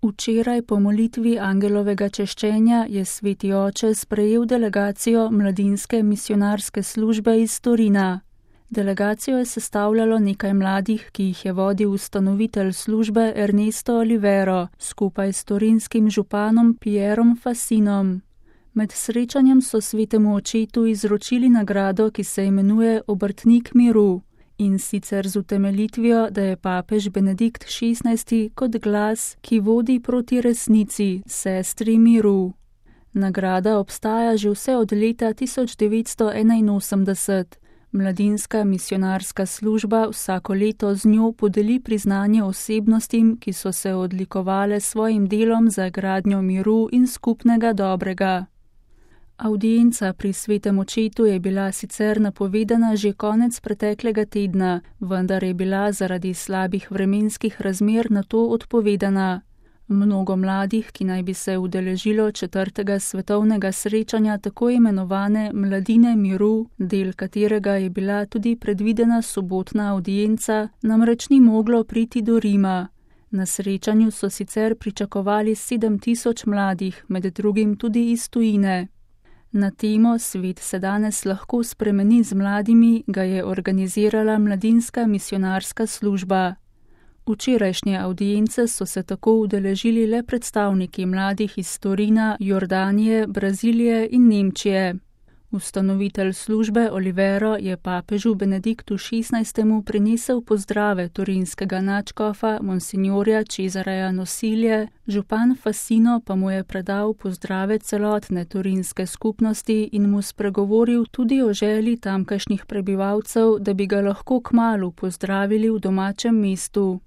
Včeraj po molitvi angelovega češčenja je sveti oče sprejel delegacijo mladinske misionarske službe iz Torina. Delegacijo je sestavljalo nekaj mladih, ki jih je vodil ustanovitelj službe Ernesto Olivero skupaj s torinskim županom Pierom Fassinom. Med srečanjem so svetemu očetu izročili nagrado, ki se imenuje Obrtnik miru, in sicer z utemeljitvijo, da je papež Benedikt XVI kot glas, ki vodi proti resnici, sestri miru. Nagrada obstaja že vse od leta 1981. Mladinska misionarska služba vsako leto z njo podeli priznanje osebnostim, ki so se odlikovale s svojim delom za gradnjo miru in skupnega dobrega. Avdienca pri svetem očetu je bila sicer napovedana že konec preteklega tedna, vendar je bila zaradi slabih vremenskih razmer na to odpovedana. Mnogo mladih, ki naj bi se udeležilo 4. svetovnega srečanja tako imenovane Mladine miru, del katerega je bila tudi predvidena sobotna avdienca, namreč ni moglo priti do Rima. Na srečanju so sicer pričakovali 7000 mladih, med drugim tudi iz tujine. Na temo Svet se danes lahko spremeni z mladimi ga je organizirala mladinska misionarska služba. Včerajšnje avdience so se tako udeležili le predstavniki mladih iz Torina, Jordanije, Brazilije in Nemčije. Ustanovitelj službe Olivero je papežu Benediktu XVI prinesel pozdrave torinskega nadškofa monsignorja Cesareja Nosilje, župan Fassino pa mu je predal pozdrave celotne torinske skupnosti in mu spregovoril tudi o želji tamkajšnjih prebivalcev, da bi ga lahko kmalu pozdravili v domačem mestu.